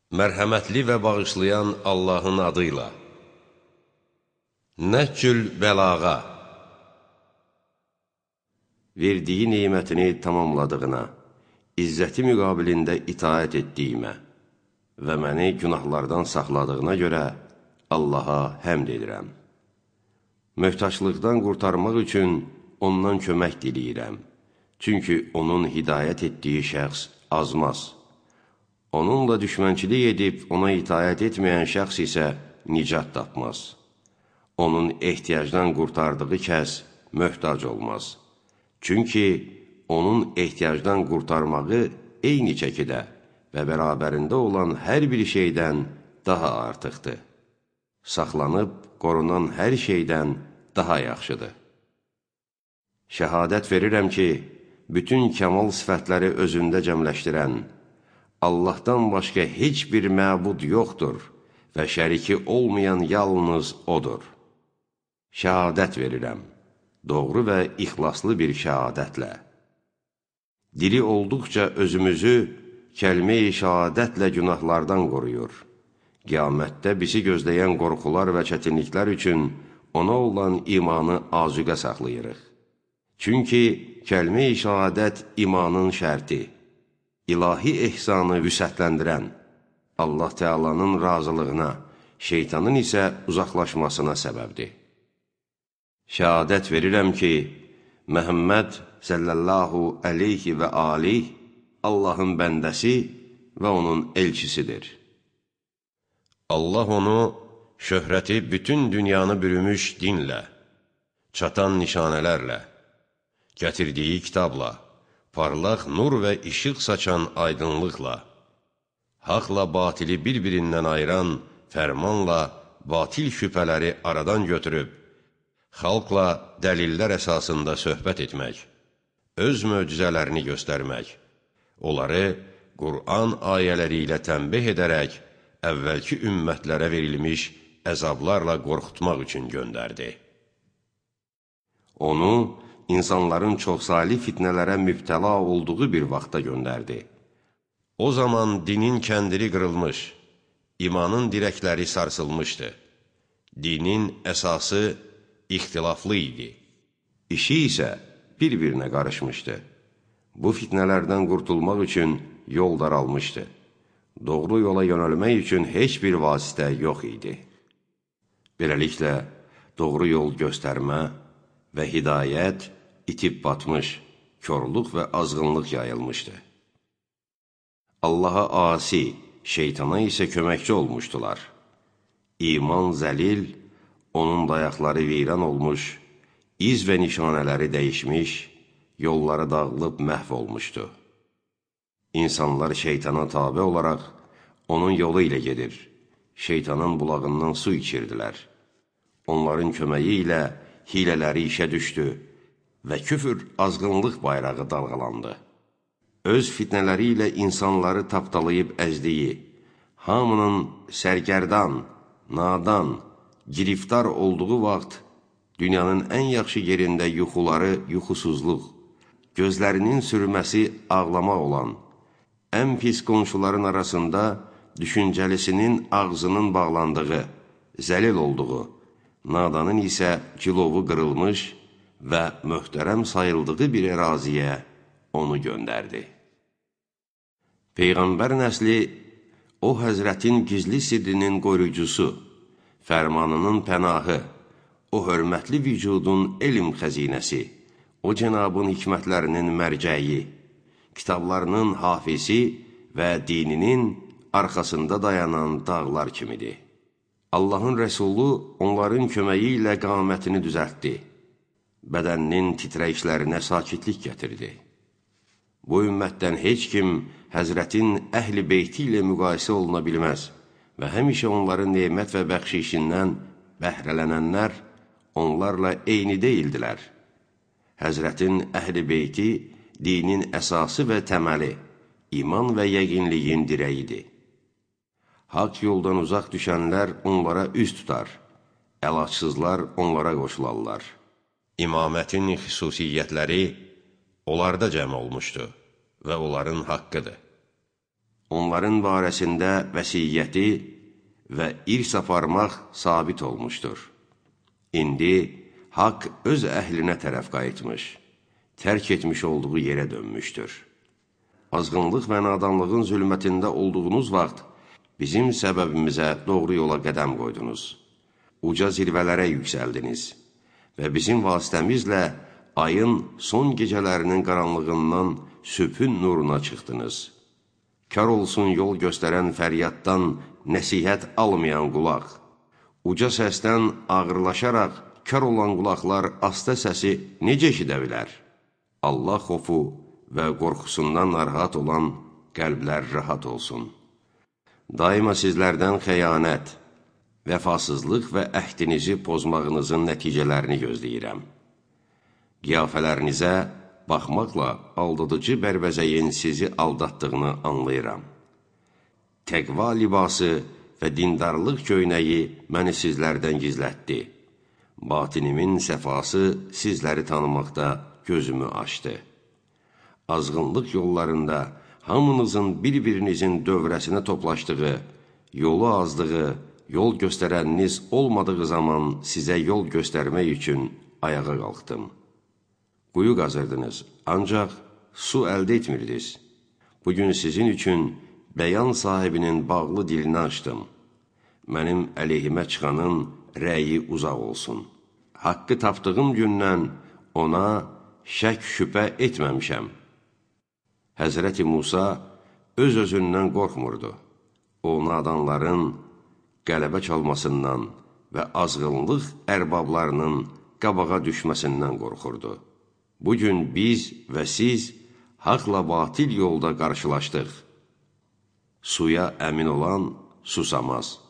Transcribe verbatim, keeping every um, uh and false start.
Mərhəmətli və bağışlayan Allahın adıyla. Nəhcül bəlağa. Verdiyi neymətini tamamladığına, izzəti müqabilində itaət etdiyimə və məni günahlardan saxladığına görə Allaha həmd edirəm. Möhtaçlıqdan qurtarmaq üçün ondan kömək diləyirəm. Çünki onun hidayət etdiyi şəxs azmaz. Onunla düşmənçilik edib ona itaət etməyən şəxs isə nicat tapmaz. Onun ehtiyacdan qurtardığı kəs möhtac olmaz. Çünki onun ehtiyacdan qurtarmağı eyni çəkidə və bərabərində olan hər bir şeydən daha artıqdır. Saxlanıb, qorunan hər şeydən daha yaxşıdır. Şəhadət verirəm ki, bütün kəmal sifətləri özündə cəmləşdirən, Allahdan başqa heç bir məbud yoxdur və şəriki olmayan yalnız O'dur. Şəhadət verirəm, doğru və ixlaslı bir şəhadətlə. Diri olduqca özümüzü kəlmə-i şəhadətlə günahlardan qoruyur. Qiyamətdə bizi gözləyən qorxular və çətinliklər üçün ona olan imanı azuqə saxlayırıq. Çünki kəlmə-i şəhadət imanın şərti, ilahi ehsanı vüsətləndirən, Allah Teala'nın razılığına, şeytanın isə uzaqlaşmasına səbəbdir. Şəhadət verirəm ki, Məhəmməd sallallahu aleyhi və aleyh Allahın bəndəsi və onun elçisidir. Allah onu şöhrəti bütün dünyanı bürümüş dinlə, çatan nişanələrlə, gətirdiyi kitabla, parlaq nur və işıq saçan aydınlıqla, haqla batili bir-birindən ayıran fərmanla batil şübhələri aradan götürüb, xalqla dəlillər əsasında söhbət etmək, öz möcüzələrini göstərmək, onları Qur'an ayələri ilə tənbih edərək, əvvəlki ümmətlərə verilmiş əzablarla qorxutmaq üçün göndərdi. Onu, insanların çoxsaylı fitnələrə mübtəla olduğu bir vaxta göndərdi. O zaman dinin kəndiri qırılmış, imanın dirəkləri sarsılmışdı. Dinin əsası ixtilaflı idi. İşi isə bir-birinə qarışmışdı. Bu fitnələrdən qurtulmaq üçün yol daralmışdı. Doğru yola yönəlmək üçün heç bir vasitə yox idi. Beləliklə, doğru yol göstərmə və hidayət itib batmış, körlük və azğınlıq yayılmışdı. Allaha asi, şeytana isə köməkçi olmuşdular. İman zəlil, onun dayaqları viran olmuş, iz və nişanələri dəyişmiş, yolları dağılıb məhv olmuşdu. İnsanlar şeytana tabe olaraq onun yolu ilə gedir, şeytanın bulağından su içirdilər. Onların köməyi ilə hilələri işə düşdü və küfür azğınlıq bayrağı dalğalandı. Öz fitnələri ilə insanları tapdalayıb əzdiyi, hamının sərgərdan, nadan, giriftar olduğu vaxt dünyanın ən yaxşı yerində yuxuları yuxusuzluq, gözlərinin sürməsi ağlamaq olan, ən pis qonşuların arasında düşüncəlisinin ağzının bağlandığı, zəlil olduğu, nadanın isə cilovu qırılmış və möhtərəm sayıldığı bir əraziyə onu göndərdi. Peyğəmbər nəsli o həzrətin gizli sirrinin qoruyucusu, fərmanının pənahı, o hörmətli vücudun elm xəzinəsi, o cənabın hikmətlərinin mərcəyi, kitablarının hafizi və dininin arxasında dayanan dağlar kimidir. Allahın Rəsulu onların köməyi ilə qamətini düzəltdi, bədəninin titrəyişlərinə sakitlik gətirdi. Bu ümmətdən heç kim Həzrətin əhl-i beyti ilə müqayisə oluna bilməz və həmişə onların nemət və bəxşişindən bəhrələnənlər onlarla eyni deyildilər. Həzrətin əhl-i beyti dinin əsası və təməli, iman və yəqinliyin dirəyidir. Haqq yoldan uzaq düşənlər onlara üz tutar, əlacsızlar onlara qoşularlar. İmamətin xüsusiyyətləri onlarda cəm olmuşdu və onların haqqıdır. Onların barəsində vəsiyyəti və irs aparmaq sabit olmuşdur. İndi haqq öz əhlinə tərəf qayıtmış, tərk etmiş olduğu yerə dönmüşdür. Azğınlıq və nadanlığın zülmətində olduğunuz vaxt bizim səbəbimizə doğru yola qədəm qoydunuz. Uca zirvələrə yüksəldiniz və bizim vasitəmizlə ayın son gecələrinin qaranlığından sübhün nuruna çıxdınız. Kar olsun yol göstərən fəryaddan nəsihət almayan qulaq. Uca səsdən ağırlaşaraq kar olan qulaqlar asta səsi necə eşidə bilər? Allah xofu və qorxusundan narahat olan qəlblər rahat olsun. Daima sizlərdən xəyanət, vəfasızlıq və əhdinizi pozmağınızın nəticələrini gözləyirəm. Qiyafələrinizə baxmaqla aldadıcı bərbəzəyin sizi aldatdığını anlayıram. Təqva libası və dindarlıq köynəyi məni sizlərdən gizlətdi. Batinimin səfası sizləri tanımaqda gözümü açdı. Azğınlıq yollarında hamınızın bir-birinizin dövrəsinə toplaşdığı, yolu azdığı, yol göstərəniniz olmadığı zaman sizə yol göstərmək üçün ayağa qalxdım. Quyu qazırdınız, ancaq su əldə etmirdiniz. Bugün sizin üçün bəyan sahibinin bağlı dilini açdım. Mənim əleyhimə çıxanın rəyi uzaq olsun. Haqqı tapdığım gündən ona şək şübhə etməmişəm. Həzrəti Musa öz-özündən qorxmurdu. O, nadanların qələbə çalmasından və azğınlıq ərbablarının qabağa düşməsindən qorxurdu. Bugün biz və siz haqla batil yolda qarşılaşdıq. Suya əmin olan susamaz.